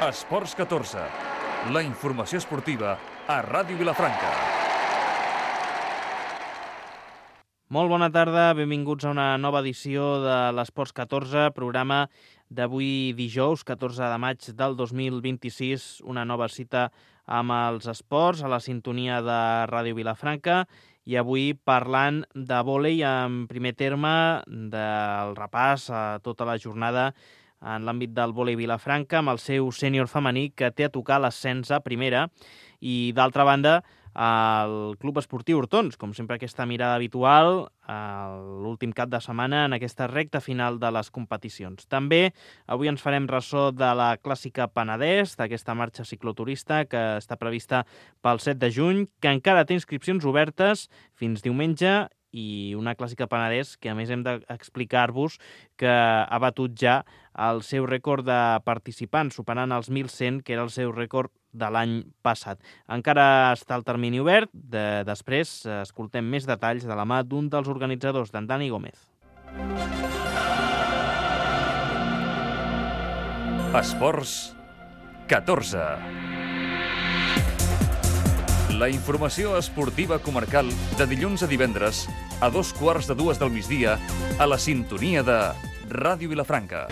Esports 14, la informació esportiva a Ràdio Vilafranca. Molt bona tarda, benvinguts a una nova edició de l'Esports 14, programa d'avui dijous, 14 de maig del 2026, una nova cita amb els esports a la sintonia de Ràdio Vilafranca i avui parlant de vòlei en primer terme, del repàs a tota la jornada en l'àmbit del vòlei Vilafranca amb el seu sènior femení que té a tocar l'ascens a primera i d'altra banda el Club Esportiu Hortons, com sempre aquesta mirada habitual l'últim cap de setmana en aquesta recta final de les competicions. També avui ens farem ressò de la Clàssica Penedès, d'aquesta marxa cicloturista que està prevista pel 7 de juny, que encara té inscripcions obertes fins diumenge i una Clàssica Penedès que a més hem d'explicar-vos que ha batut ja el seu rècord de participants, superant els 1.100, que era el seu rècord de l'any passat. Encara està el termini obert, després escoltem més detalls de la mà d'un dels organitzadors, d'en Dani Gómez. Esports 14. La informació esportiva comarcal de dilluns a divendres a 2:15 del migdia a la sintonia de Ràdio Vilafranca.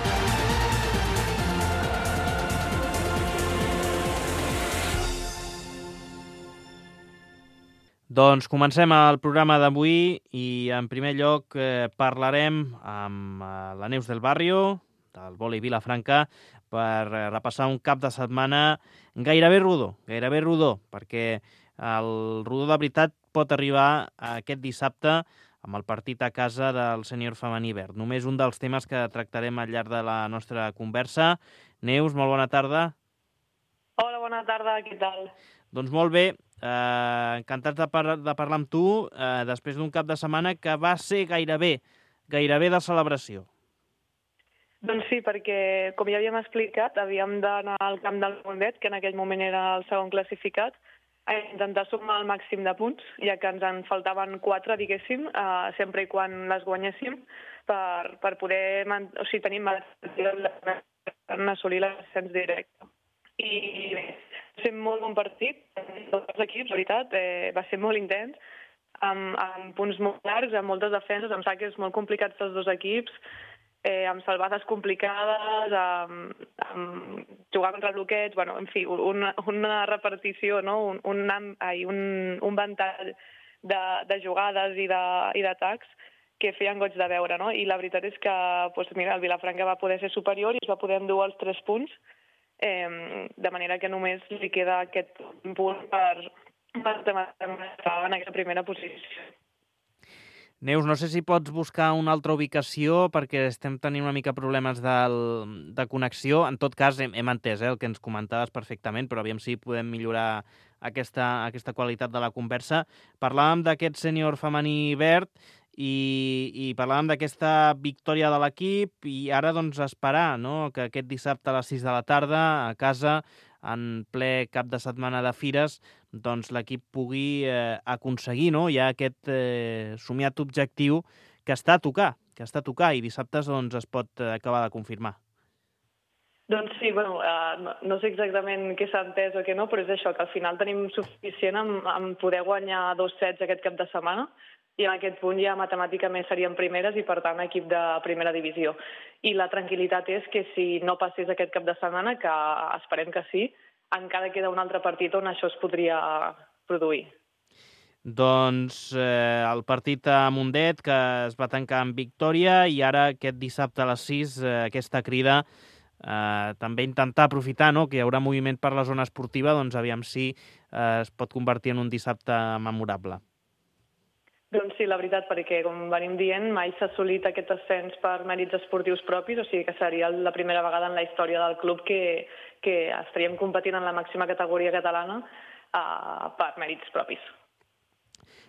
Doncs comencem el programa d'avui i en primer lloc parlarem amb la Neus del Barrio, del vòlei Vilafranca, per repassar un cap de setmana gairebé rodó, perquè el rodó de veritat pot arribar aquest dissabte amb el partit a casa del sènior femení verd. Només un dels temes que tractarem al llarg de la nostra conversa. Neus, molt bona tarda. Hola, bona tarda, què tal? Doncs molt bé, encantats de parlar amb tu després d'un cap de setmana que va ser gairebé de celebració. Doncs sí, perquè, com ja havíem explicat, havíem d'anar al camp del Mundet, que en aquell moment era el segon classificat, a intentar sumar el màxim de punts, ja que ens en faltaven 4, diguéssim, sempre i quan les guanyéssim, per poder tenir en assolir l'ascens directe. I bé, va ser molt bon partit, tots els equips, la veritat, va ser molt intens, amb punts molt llargs, amb moltes defenses, amb saques molt complicats dels dos equips, amb salvades complicades, amb jugar contra el bloqueig, en fi, una repartició, no? un ventall de jugades i d'atacs que feien goig de veure, no? I la veritat és que el Vilafranca va poder ser superior i es va poder endur els 3 punts, de manera que només li queda aquest punt per estar en aquesta primera posició. Neus, no sé si pots buscar una altra ubicació perquè estem tenint una mica problemes de connexió. En tot cas, hem entès el que ens comentaves perfectament, però aviam si podem millorar aquesta qualitat de la conversa. Parlàvem d'aquest sènior femení verd i parlàvem d'aquesta victòria de l'equip i ara doncs esperar, no?, que aquest dissabte a les 6 de la tarda a casa, en ple cap de setmana de fires, doncs l'equip pugui aconseguir, no?, ja aquest somiat objectiu que està a tocar i dissabtes doncs es pot acabar de confirmar. Doncs sí, no sé exactament què s'ha entès o què no, però és això, que al final tenim suficient en poder guanyar 2 sets aquest cap de setmana i en aquest punt ja matemàticament serien primeres i, per tant, equip de primera divisió. I la tranquil·litat és que si no passés aquest cap de setmana, que esperem que sí, encara queda un altre partit on això es podria produir. Doncs el partit a Mundet, que es va tancar amb victòria, i ara aquest dissabte a les 6, aquesta crida, també intentar aprofitar, no?, que hi haurà moviment per la zona esportiva, doncs aviam si es pot convertir en un dissabte memorable. Doncs sí, la veritat, perquè, com venim dient, mai s'ha assolit aquest ascens per mèrits esportius propis, o sigui que seria la primera vegada en la història del club que estaríem competint en la màxima categoria catalana per mèrits propis.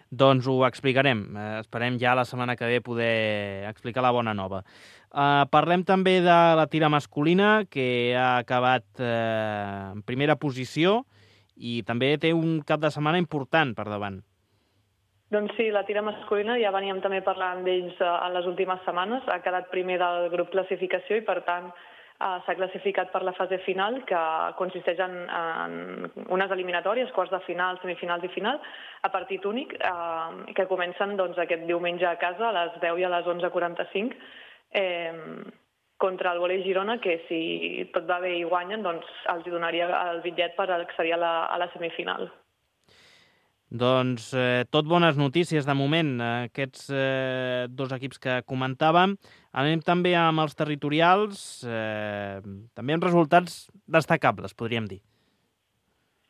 Doncs ho explicarem. Esperem ja la setmana que ve poder explicar la bona nova. Parlem també de la tira masculina, que ha acabat en primera posició i també té un cap de setmana important per davant. Doncs sí, la tira masculina, ja veníem també parlant d'ells en les últimes setmanes, ha quedat primer del grup classificació i, per tant, s'ha classificat per la fase final, que consisteix en unes eliminatòries, quarts de final, semifinals i final, a partit únic, que comencen aquest diumenge a casa a les 10 i a les 11:45, contra el Volei Girona, que si tot va bé i guanyen, doncs els donaria el bitllet per accedir a la semifinal. Doncs tot bones notícies de moment, aquests dos equips que comentàvem. Anem també amb els territorials, també amb resultats destacables, podríem dir.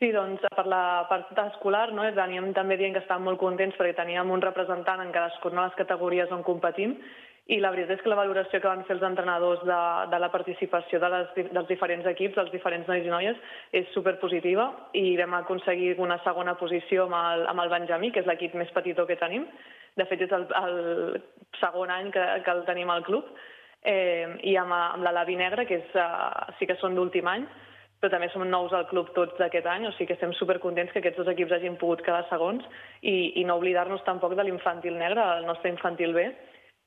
Sí, doncs per la part escolar, no? Veníem també dient que estàvem molt contents perquè teníem un representant en cadascuna de les categories on competim, i la veritat és que la valoració que van fer els entrenadors de la participació dels diferents equips, dels diferents nois i noies, és superpositiva, i vam aconseguir una segona posició amb el Benjamí, que és l'equip més petitó que tenim. De fet, és el segon any que el tenim al club, i amb la Lavi Negra, que sí que són d'últim any, però també som nous al club tots d'aquest any, o sigui que estem supercontents que aquests dos equips hagin pogut quedar segons, i no oblidar-nos tampoc de l'infantil negre, el nostre infantil B,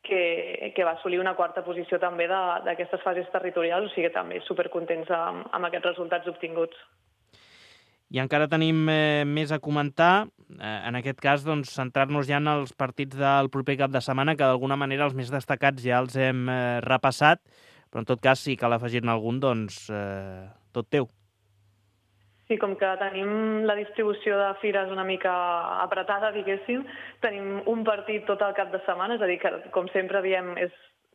que va assolir una quarta posició també d'aquestes fases territorials, o sigui que també supercontents amb aquests resultats obtinguts. I encara tenim més a comentar, en aquest cas centrar-nos ja en els partits del proper cap de setmana, que d'alguna manera els més destacats ja els hem repassat, però en tot cas si cal afegir-ne algun, doncs tot teu. Sí, com que tenim la distribució de fires una mica apretada, diguéssim, tenim un partit tot el cap de setmana, és a dir, que com sempre diem,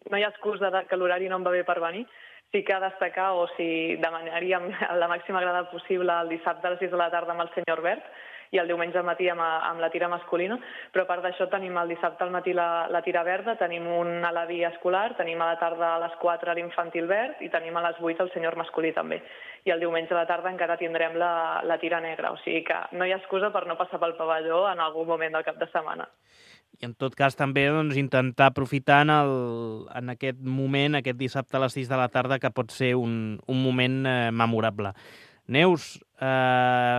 no hi ha excusa que l'horari no em va bé per venir. Sí que destacar, o si demanaríem la màxima grada possible el dissabte a les 6 de la tarda amb el senyor Verd, i el diumenge al matí amb la tira masculina, però a part d'això tenim el dissabte al matí la tira verda, tenim un a la via escolar, tenim a la tarda a les 4 l'infantil verd i tenim a les 8 el senyor masculí també. I el diumenge a la tarda encara tindrem la tira negra, o sigui que no hi ha excusa per no passar pel pavelló en algun moment del cap de setmana. I en tot cas també intentar aprofitar en aquest moment, aquest dissabte a les 6 de la tarda, que pot ser un moment memorable. Neus,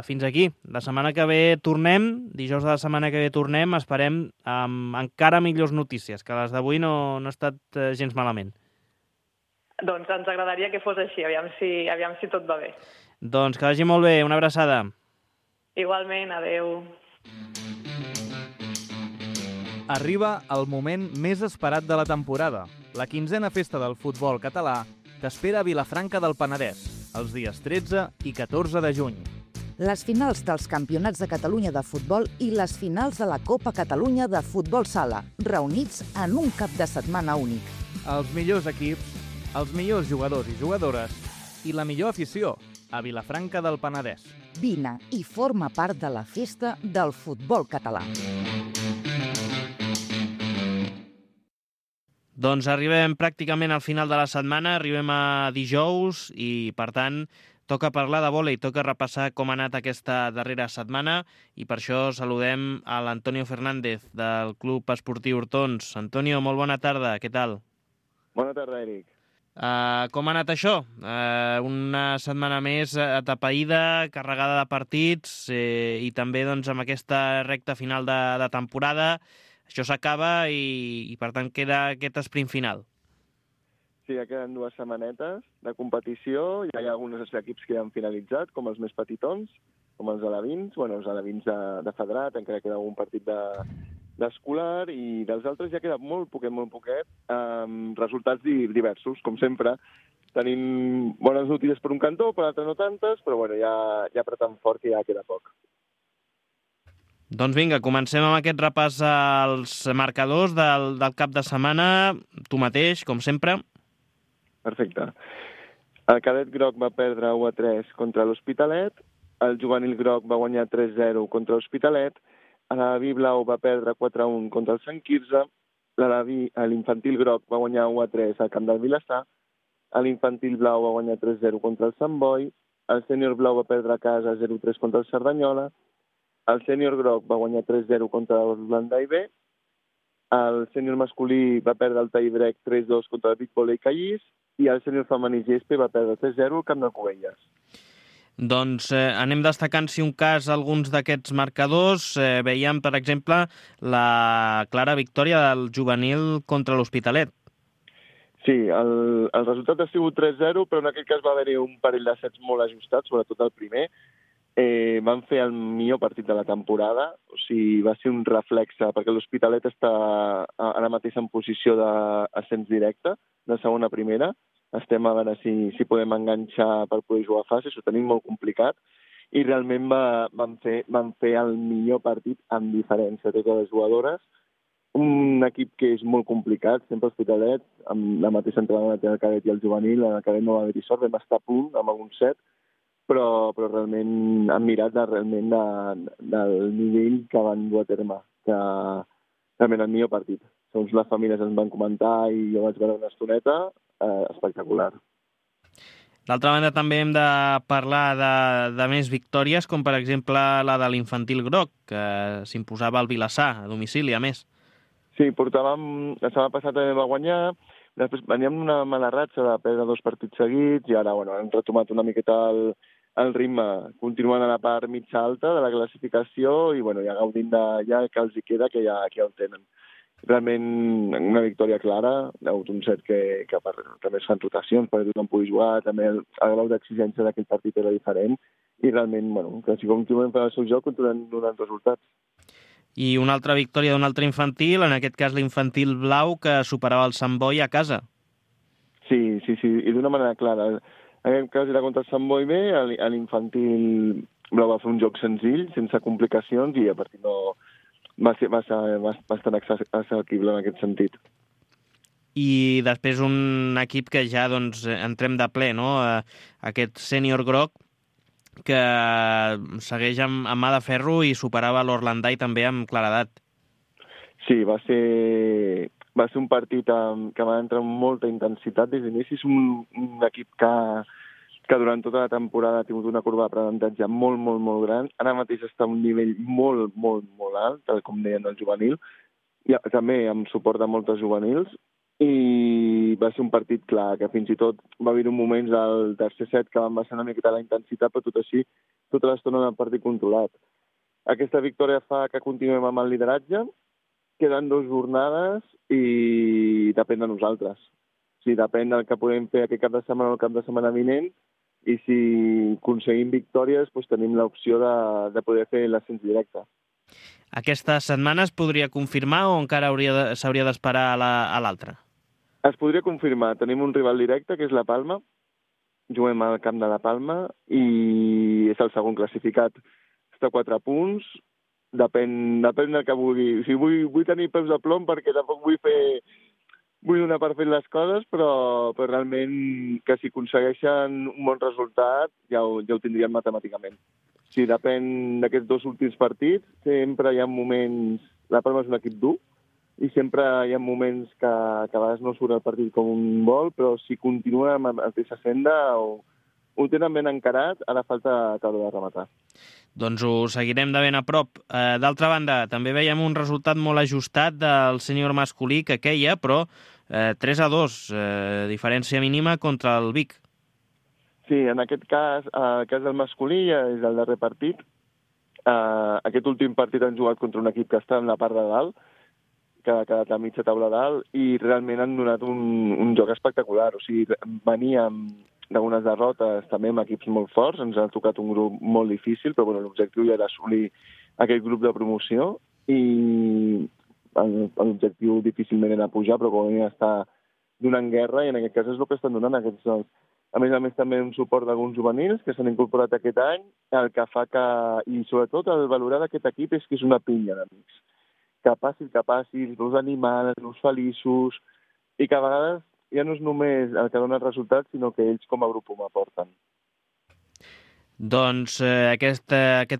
fins aquí. La setmana que ve tornem, dijous de la setmana que ve tornem, esperem amb encara millors notícies, que les d'avui no ha estat gens malament. Doncs ens agradaria que fos així, aviam si tot va bé. Doncs que vagi molt bé, una abraçada. Igualment, adeu. Arriba el moment més esperat de la temporada, la 15a festa del futbol català, que espera a Vilafranca del Penedès, els dies 13 i 14 de juny. Les finals dels Campionats de Catalunya de futbol i les finals de la Copa Catalunya de futbol sala, reunits en un cap de setmana únic. Els millors equips, els millors jugadors i jugadores i la millor afició a Vilafranca del Penedès. Vine i forma part de la festa del futbol català. Doncs arribem pràcticament al final de la setmana, arribem a dijous i, per tant, toca parlar de vòlei, toca repassar com ha anat aquesta darrera setmana i per això saludem a l'Antonio Fernández del Club Esportiu Hortons. Antonio, molt bona tarda, què tal? Bona tarda, Eric. Com ha anat això? Una setmana més atapeïda, carregada de partits i també amb aquesta recta final de temporada. Això s'acaba i, per tant, queda aquest esprint final. Sí, ja queden 2 setmanetes de competició. Ja hi ha alguns equips que ja han finalitzat, com els més petitons, com els alevins. Bueno, els alevins de federat, encara queda algun partit d'escolar, i dels altres ja queda molt poquet, resultats diversos, com sempre. Tenim bones notícies per un cantó, per l'altre no tantes, però bueno, ja apretant fort que ja queda poc. Doncs vinga, comencem amb aquest repàs als marcadors del cap de setmana. Tu mateix, com sempre. Perfecte. El cadet groc va perdre 1-3 contra l'Hospitalet, el juvenil groc va guanyar 3-0 contra l'Hospitalet, l'Alaví blau va perdre 4-1 contra el Sant Quirze, l'infantil groc va guanyar 1-3 al camp del Vilassar, l'infantil blau va guanyar 3-0 contra el Sant Boi, el sènior blau va perdre a casa 0-3 contra el Cerdanyola, el sènior groc va guanyar 3-0 contra l'Urlandai B, el sènior masculí va perdre el Taibrec 3-2 contra el Vic Volley Callís i el sènior femení Gespe va perdre 3-0 al camp de Cubelles. Doncs anem destacant, si un cas, alguns d'aquests marcadors. Veiem, per exemple, la clara victòria del juvenil contra l'Hospitalet. Sí, el resultat ha sigut 3-0, però en aquest cas va haver-hi un parell de sets molt ajustats, sobretot el primer. Van fer el millor partit de la temporada, o sigui, va ser un reflexe, perquè l'Hospitalet està ara mateix en posició d'ascens directe, de segona a primera. Estem a veure si podem enganxar per poder jugar a fases, ho tenim molt complicat, i realment van fer el millor partit amb diferència de totes les jugadores. Un equip que és molt complicat, sempre Hospitalet, amb la mateixa entrenadora que el cadet i el juvenil. El cadet no va haver-hi sort, vam estar a punt amb algun set, però realment han mirat del nivell que van dur a terme, que realment el millor partit. Segons les famílies ens van comentar i jo vaig veure una estoneta, espectacular. D'altra banda, també hem de parlar de més victòries, com per exemple la de l'Infantil Groc, que s'imposava al Vilassar, a domicili, a més. Sí, la setmana passada també va guanyar, després veníem una mala ratxa de perdre 2 partits seguits i ara hem retomat una miqueta el ritme, continuant a la part mitja alta de la classificació i ja gaudint ja que els hi queda, que ja ho tenen. Realment una victòria clara, hi ha hagut un set que també es fan rotacions perquè tothom pugui jugar, també el grau d'exigència d'aquell partit era diferent i realment, que si continuem fent el seu joc, continuem donant resultats. I una altra victòria d'un altre infantil, en aquest cas l'Infantil Blau, que superava el Sant Boi a casa. Sí, i d'una manera clara. En aquest cas era contra el Sant Boi B, l'Infantil Blau va fer un joc senzill, sense complicacions, i a partir va ser bastant accessible en aquest sentit. I després un equip que ja entrem de ple, no? Aquest Sènior Groc, que segueix amb mà de ferro i superava l'Orlandai també amb claredat. Sí, va ser un partit que va entrar amb molta intensitat des d'inici. És un equip que durant tota la temporada ha tingut una curva d'aprenentatge molt, molt, molt gran. Ara mateix està a un nivell molt, molt, molt alt, tal com deien el juvenil, i també amb suport de moltes juvenils. I va ser un partit clar, que fins i tot va haver-hi moments al tercer set que van baixar una miqueta la intensitat, però tot així, tota l'estona en el partit controlat. Aquesta victòria fa que continuem amb el lideratge, queden 2 jornades i depèn de nosaltres. O sigui, depèn del que podem fer aquest cap de setmana o el cap de setmana vinent, i si aconseguim victòries, tenim l'opció de poder fer l'ascens directe. Aquesta setmana es podria confirmar o encara s'hauria d'esperar a l'altra? Es podria confirmar. Tenim un rival directe, que és la Palma. Juguem al camp de la Palma i és el segon classificat. Està a 4 punts. Depèn del que vulgui. O sigui, vull tenir peus de plom perquè tampoc vull donar per fet les coses, però realment que si aconsegueixen un bon resultat ja ho tindrien matemàticament. Si depèn d'aquests 2 últims partits, sempre hi ha moments... La Palma és un equip dur, i sempre hi ha moments que a vegades no surt el partit com un vol, però si continua amb aquesta senda ho tenen ben encarat, ara falta acabar de rematar. Doncs ho seguirem de ben a prop. D'altra banda, també veiem un resultat molt ajustat del sènior masculí que queia, però 3-2, diferència mínima contra el Vic. Sí, en aquest cas, el cas del masculí és el darrer partit. Aquest últim partit han jugat contra un equip que està en la part de dalt, que ha quedat a mitja taula dalt, i realment han donat un joc espectacular. O sigui, veníem d'unes derrotes també amb equips molt forts, ens ha tocat un grup molt difícil, però l'objectiu ja era assolir aquest grup de promoció, i l'objectiu difícilment era pujar, però com a està donant guerra, i en aquest cas és el que estan donant aquests jocs. A més també un suport d'alguns juvenils que s'han incorporat aquest any, el que fa que, i sobretot el valorar d'aquest equip és que és una pinya d'amics. Que passis, veus animals, veus feliços, i que a vegades ja no és només el que dona els resultats, sinó que ells com a grup ho aporten. Doncs aquest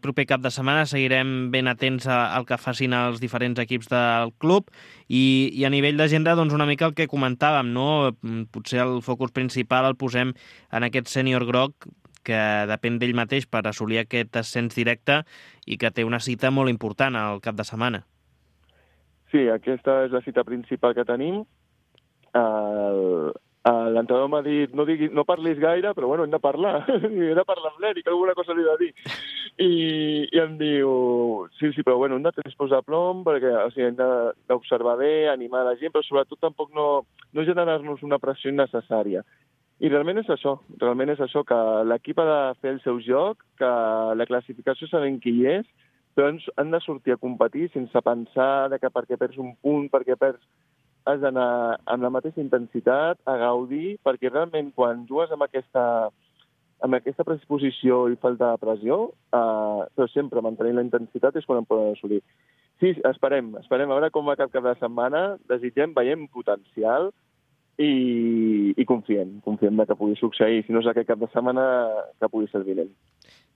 proper cap de setmana seguirem ben atents al que facin els diferents equips del club i a nivell d'agenda una mica el que comentàvem, no? Potser el focus principal el posem en aquest sènior groc que depèn d'ell mateix per assolir aquest ascens directe i que té una cita molt important al cap de setmana. Sí, aquesta és la cita principal que tenim. L'entrenador m'ha dit, no parlis gaire, però bueno, hem de parlar. He de parlar amb l'Eric, alguna cosa li he de dir. I em diu, sí, però bueno, hem de tenir posar plom, perquè hem d'observar bé, animar la gent, però sobretot tampoc no generar-nos una pressió innecessària. I realment és això, que l'equip ha de fer el seu joc, que la classificació sabem qui hi és, però han de sortir a competir sense pensar que perquè perds un punt, perquè perds... Has d'anar amb la mateixa intensitat, a gaudir, perquè realment quan jugues amb aquesta predisposició i falta de pressió, però sempre mantenint la intensitat és quan en poden assolir. Sí, esperem a veure com va cap de setmana, desitgem, veiem potencial i confiem que pugui succeir, si no és aquest cap de setmana, que pugui ser el vinent.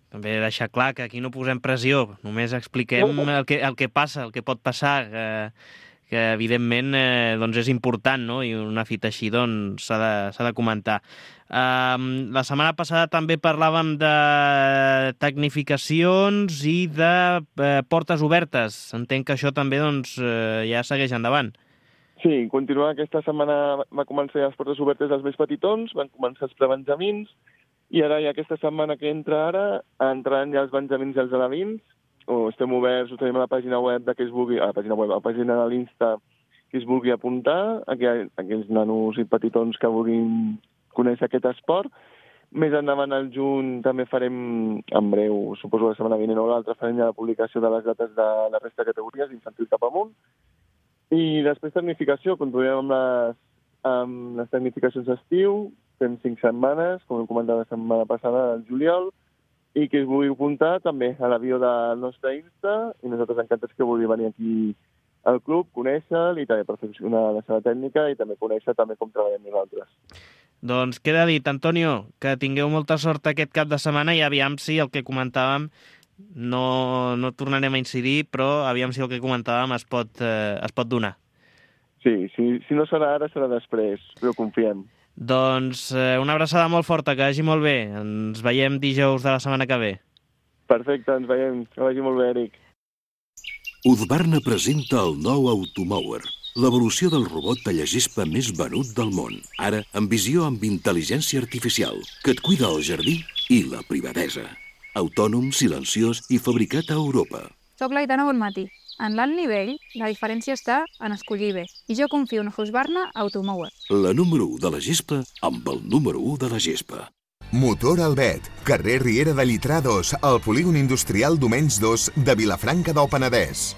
També deixar clar que aquí no posem pressió, només expliquem el que passa, el que pot passar, que evidentment doncs és important, no? I una fita així doncs s'ha de comentar. La setmana passada també parlàvem de tecnificacions i de portes obertes. Entenc que això també doncs, ja segueix endavant. Sí, continuant aquesta setmana va començar les portes obertes dels més petitons, van començar els prebenjamins, i ara ja aquesta setmana que entra ara entraran ja els benjamins i els alevins. Estem oberts, ho tenim a la pàgina web de que es vulgui, a la pàgina de l'Insta, que es vulgui apuntar, aquells nanos i petitons que vulguin conèixer aquest esport. Més endavant al juny també farem, en breu, suposo la setmana vinent o l'altra, farem ja la publicació de les dates de la resta de categories, infantil cap amunt. I després tecnificació, continuem amb les tecnificacions d'estiu, fem 5 setmanes, com hem comentat la setmana passada, al juliol, i que es vulgui apuntar també a la bio del nostre Insta, i nosaltres encantats que vulgui venir aquí al club, conèixer-lo i també perfeccionar la seva tècnica i també conèixer també com treballem nosaltres. Doncs queda dit, Antonio, que tingueu molta sort aquest cap de setmana i aviam si el que comentàvem, no tornarem a incidir, però aviam si el que comentàvem es pot donar. Sí, si no serà ara, serà després, però confiem. Doncs una abraçada molt forta, que vagi molt bé. Ens veiem dijous de la setmana que ve. Perfecte, ens veiem. Que vagi molt bé, Eric. Husqvarna presenta el nou Automower, l'evolució del robot tallagespa més venut del món. Ara, amb visió amb intel·ligència artificial, que et cuida el jardí i la privadesa. Autònom, silenciós i fabricat a Europa. Soc l'Aitana Bonmatí. En l'alt nivell, la diferència està en escollir bé. I jo confio en Husqvarna Automower. La número 1 de la gespa amb el número 1 de la gespa. Motor Albet, carrer Riera de Llitrà 2, al polígon industrial Domenys 2 de Vilafranca del Penedès.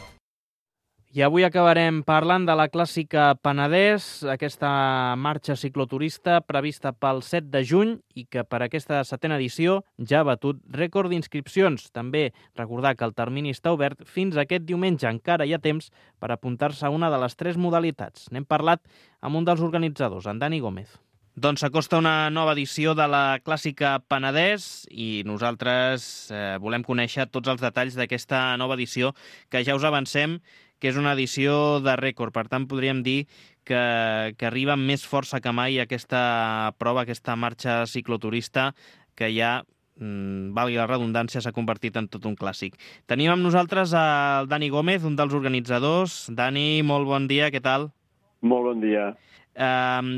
I avui acabarem parlant de la clàssica Penedès, aquesta marxa cicloturista prevista pel 7 de juny i que per aquesta 7a edició ja ha batut rècord d'inscripcions. També recordar que el termini està obert fins aquest diumenge. Encara hi ha temps per apuntar-se a una de les 3 modalitats. N'hem parlat amb un dels organitzadors, en Dani Gómez. Doncs s'acosta una nova edició de la clàssica Penedès i nosaltres volem conèixer tots els detalls d'aquesta nova edició que ja us avancem que és una edició de rècord. Per tant, podríem dir que arriba amb més força que mai aquesta prova, aquesta marxa cicloturista que ja, valgui la redundància, s'ha convertit en tot un clàssic. Tenim amb nosaltres el Dani Gómez, un dels organitzadors. Dani, molt bon dia, què tal? Molt bon dia.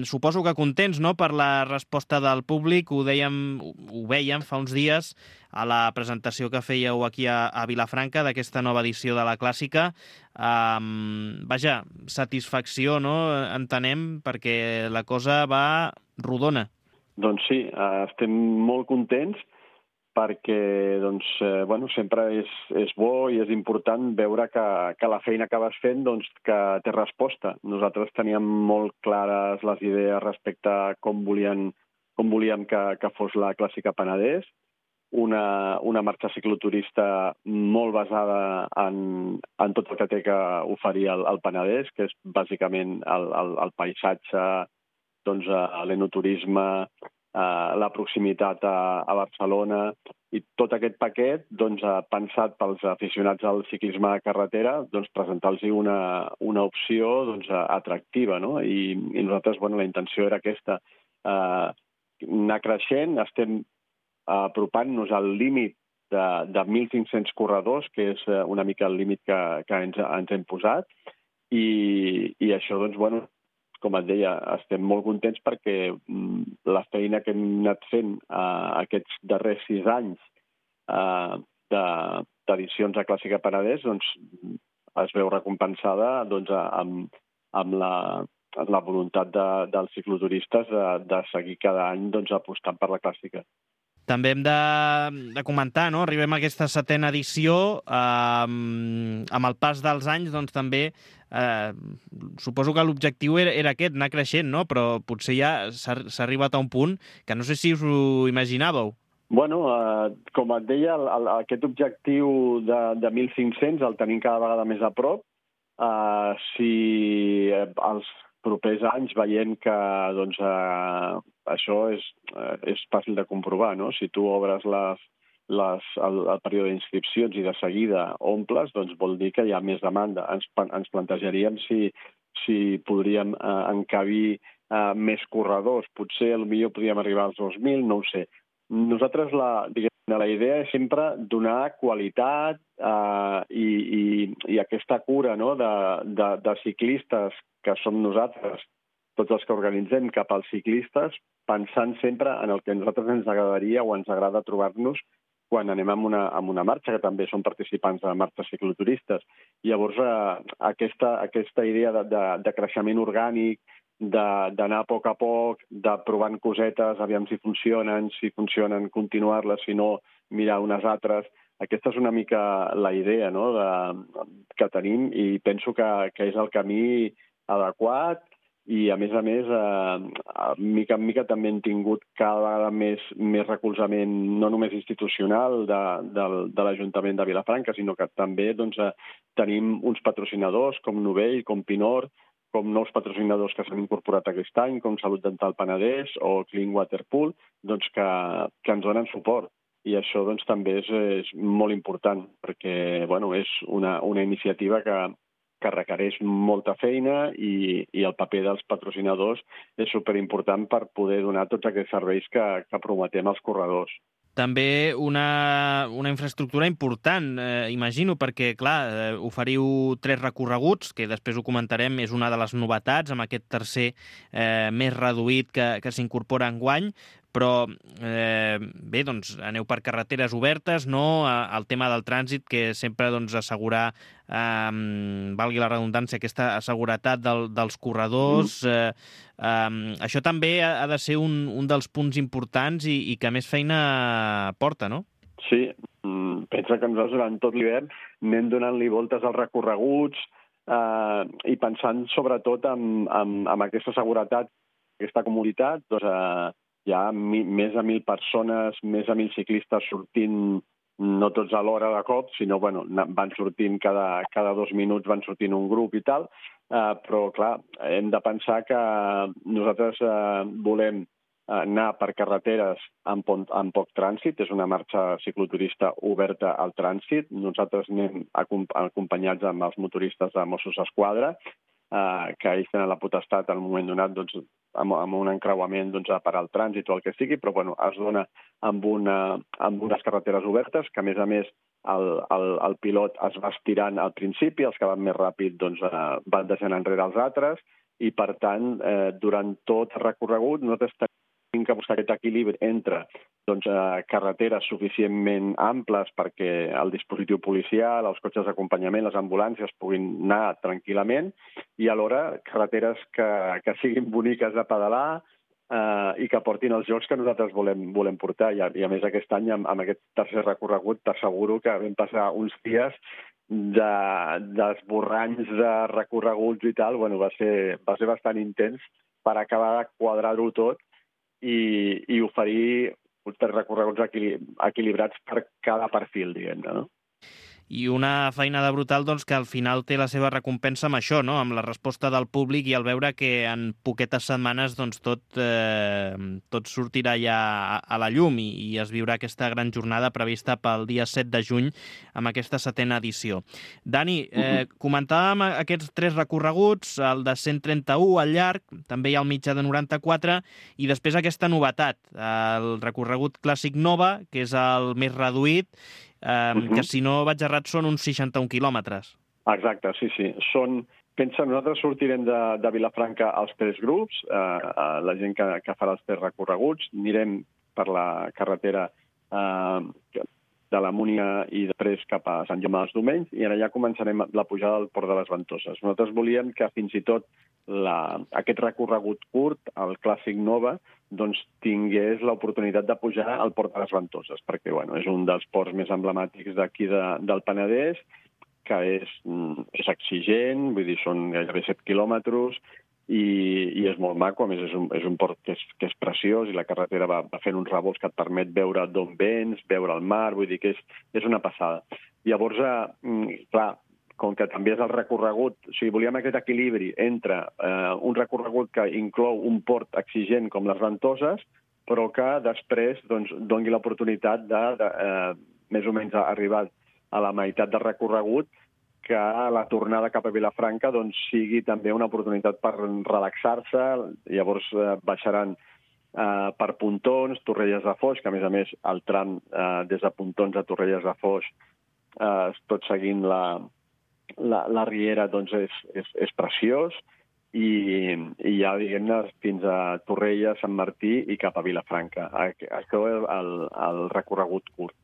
Suposo que contents, no?, per la resposta del públic. Ho veiem fa uns dies a la presentació que fèieu aquí a Vilafranca d'aquesta nova edició de la clàssica. Vaja, satisfacció, no?, entenem, perquè la cosa va rodona. Doncs sí, estem molt contents perquè sempre és bo i és important veure que la feina que vas fent que té resposta. Nosaltres teníem molt clares les idees respecte a com volíem que fos la clàssica Penedès, una marxa cicloturista molt basada en tot el que té que oferir el Penedès, que és bàsicament el paisatge, l'enoturisme, la proximitat a Barcelona i tot aquest paquet pensat pels aficionats al ciclisme de carretera, presentar-los una opció atractiva, no? I nosaltres, la intenció era aquesta, anar creixent. Estem apropant-nos al límit de 1.500 corredors, que és una mica el límit que ens hem posat, i això com et deia, estem molt contents perquè la feina que hem anat fent aquests darrers 6 anys d'edicions a Clàssica Penedès doncs, es veu recompensada doncs, amb la voluntat dels cicloturistes de seguir cada any doncs, apostant per la Clàssica. També hem de comentar, no? Arribem a aquesta 7ª edició, amb el pas dels anys, doncs també suposo que l'objectiu era aquest, anar creixent, no? Però potser ja s'ha arribat a un punt que no sé si us ho imaginàveu. Bueno, com et deia, aquest objectiu de 1.500 el tenim cada vegada més a prop. Si els propers anys veiem que doncs, això és fàcil de comprovar, no? Si tu obres el període d'inscripcions i de seguida omples, doncs vol dir que hi ha més demanda. Ens plantejaríem si podríem encabir més corredors. Potser potser podríem arribar als 2.000, no ho sé. Nosaltres la idea és sempre donar qualitat i aquesta cura, no? de ciclistes que som nosaltres, tots els que organitzem cap als ciclistes, pensant sempre en el que a nosaltres ens agradaria o ens agrada trobar-nos quan anem amb una marxa, que també som participants de marxes cicloturistes. Llavors, aquesta idea de creixement orgànic, d'anar a poc, de provant cosetes, aviam si funcionen, continuar-les, si no, mirar unes altres. Aquesta és una mica la idea, no? Que tenim i penso que és el camí adequat i, a més, mica en mica també hem tingut cada vegada més recolzament, no només institucional de l'Ajuntament de Vilafranca, sinó que també doncs, tenim uns patrocinadors com Novell, com Pinor, com nous patrocinadors que s'han incorporat aquest any, com Salut Dental Penedès o Clean Water Pool, doncs que ens donen suport. I això doncs, també és molt important, perquè bueno, és una iniciativa que requereix molta feina i el paper dels patrocinadors és superimportant per poder donar tots aquests serveis que prometem als corredors. També una infraestructura important, imagino, perquè, clar, oferiu 3 recorreguts, que després ho comentarem, és una de les novetats, amb aquest tercer més reduït que s'incorpora enguany, però bé, doncs aneu per carreteres obertes, no? El tema del trànsit, que sempre doncs, assegurar, valgui la redundància, aquesta seguretat dels corredors. Això també ha de ser un dels punts importants i que més feina porta, no? Sí, pensa que nosaltres durant tot l'hivern anem donant-li voltes als recorreguts i pensant sobretot en aquesta seguretat, aquesta comoditat, doncs hi ha més de 1.000 persones, més de 1.000 ciclistes sortint, no tots a l'hora de cop, sinó bueno, van sortint cada 2 minuts, van sortint un grup i tal, però clar, hem de pensar que nosaltres volem anar per carreteres amb poc trànsit, és una marxa cicloturista oberta al trànsit, nosaltres anem acompanyats amb els motoristes de Mossos d'Esquadra, que ells tenen la potestat en un moment donat doncs, amb un encreuament doncs, a parar el trànsit o el que sigui, però bueno, es dona amb unes carreteres obertes, que a més el pilot es va estirant al principi, els que van més ràpid doncs, van deixant enrere els altres, i per tant, durant tot el recorregut nosaltres tenim que buscar aquest equilibri entre doncs, carreteres suficientment amples perquè el dispositiu policial, els cotxes d'acompanyament, les ambulàncies puguin anar tranquil·lament i alhora carreteres que siguin boniques de pedalar i que portin els jocs que nosaltres volem portar. I a més aquest any, amb aquest tercer recorregut, t'asseguro que vam passar uns dies d'esborranys de recorreguts i tal. Bueno, va ser bastant intens per acabar de quadrar-ho tot i oferir uns recorreguts equilibrats per cada perfil, diguem-ne, no? I una feinada brutal doncs, que al final té la seva recompensa amb això, no? Amb la resposta del públic i al veure que en poquetes setmanes doncs, tot sortirà ja a la llum i es viurà aquesta gran jornada prevista pel dia 7 de juny amb aquesta 7ª edició. Dani, comentàvem aquests 3 recorreguts, el de 131 al llarg, també hi ha el mitjà de 94 i després aquesta novetat, el recorregut clàssic Nova, que és el més reduït, que si no vaig errat són uns 61 quilòmetres. Exacte, sí. Són nosaltres sortirem de Vilafranca als 3 grups, la gent que farà els 3 recorreguts, anirem per la carretera de la Múnia i després cap a Sant Jaume dels Domenys, i allà començarem la pujada al Port de les Ventoses. Nosaltres volíem que fins i tot aquest recorregut curt, el Clàssic Nova, doncs tingués l'oportunitat de pujar al Port de les Ventoses, perquè és un dels ports més emblemàtics d'aquí del Penedès, que és exigent, vull dir, són gairebé 7 quilòmetres, i és molt maco. A més, és un port que és preciós, i la carretera va fent uns revolts que et permet veure d'on vens, veure el mar, vull dir que és una passada. Llavors, clar, com que també és el recorregut, o sigui, volíem aquest equilibri entre un recorregut que inclou un port exigent com les Ventoses, però que després doni l'oportunitat de més o menys arribar a la meitat del recorregut, que la tornada cap a Vilafranca sigui també una oportunitat per relaxar-se. Llavors baixaran per Pontons, Torrelles de Foix, que a més el tram des de Pontons a Torrelles de Foix, tot seguint la riera, és preciós, i ja, diguem-ne, fins a Torrelles, Sant Martí i cap a Vilafranca. Això és el recorregut curt.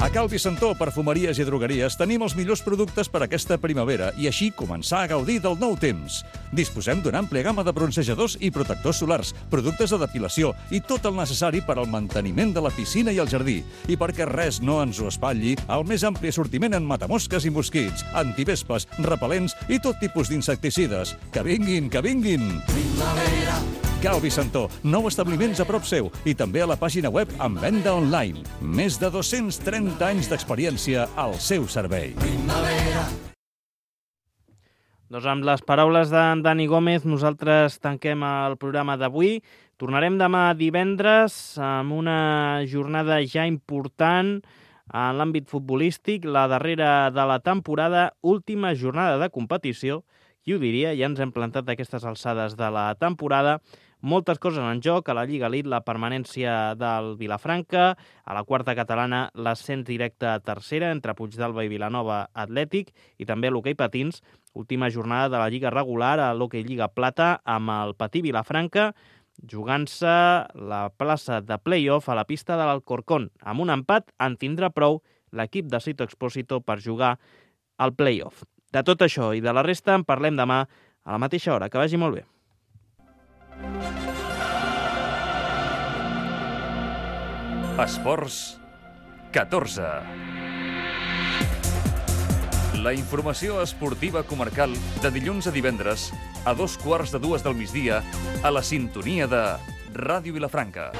A Cal Vicentó, perfumeries i drogueries, tenim els millors productes per aquesta primavera i així començar a gaudir del nou temps. Disposem d'una àmplia gamma de bronzejadors i protectors solars, productes de depilació i tot el necessari per al manteniment de la piscina i el jardí. I perquè res no ens ho espatlli, el més ampli assortiment en matamosques i mosquits, antivespes, repel·lents i tot tipus d'insecticides. Que vinguin, que vinguin! Primavera! Cal Vicentó, 9 establiments a prop seu i també a la pàgina web amb venda online. Més de 230 anys d'experiència al seu servei. Primavera. Doncs amb les paraules d'en Dani Gómez nosaltres tanquem el programa d'avui. Tornarem demà divendres amb una jornada ja important en l'àmbit futbolístic, la darrera de la temporada, última jornada de competició. Qui ho diria? Ja ens hem plantat aquestes alçades de la temporada. Moltes coses en joc, a la Lliga Elite la permanència del Vilafranca, a la quarta catalana l'ascens directe a tercera entre Puigdàlber i Vilanova Atlètic, i també a l'hoquei patins, última jornada de la Lliga regular a l'hoquei Lliga Plata amb el Patí Vilafranca, jugant-se la plaça de play-off a la pista de l'Alcorcón. Amb un empat en tindrà prou l'equip de Sito Expósito per jugar al play-off. De tot això i de la resta en parlem demà a la mateixa hora. Que vagi molt bé. Esports 14. La informació esportiva comarcal de dilluns a divendres a 2:15 del migdia a la sintonia de Ràdio Vilafranca.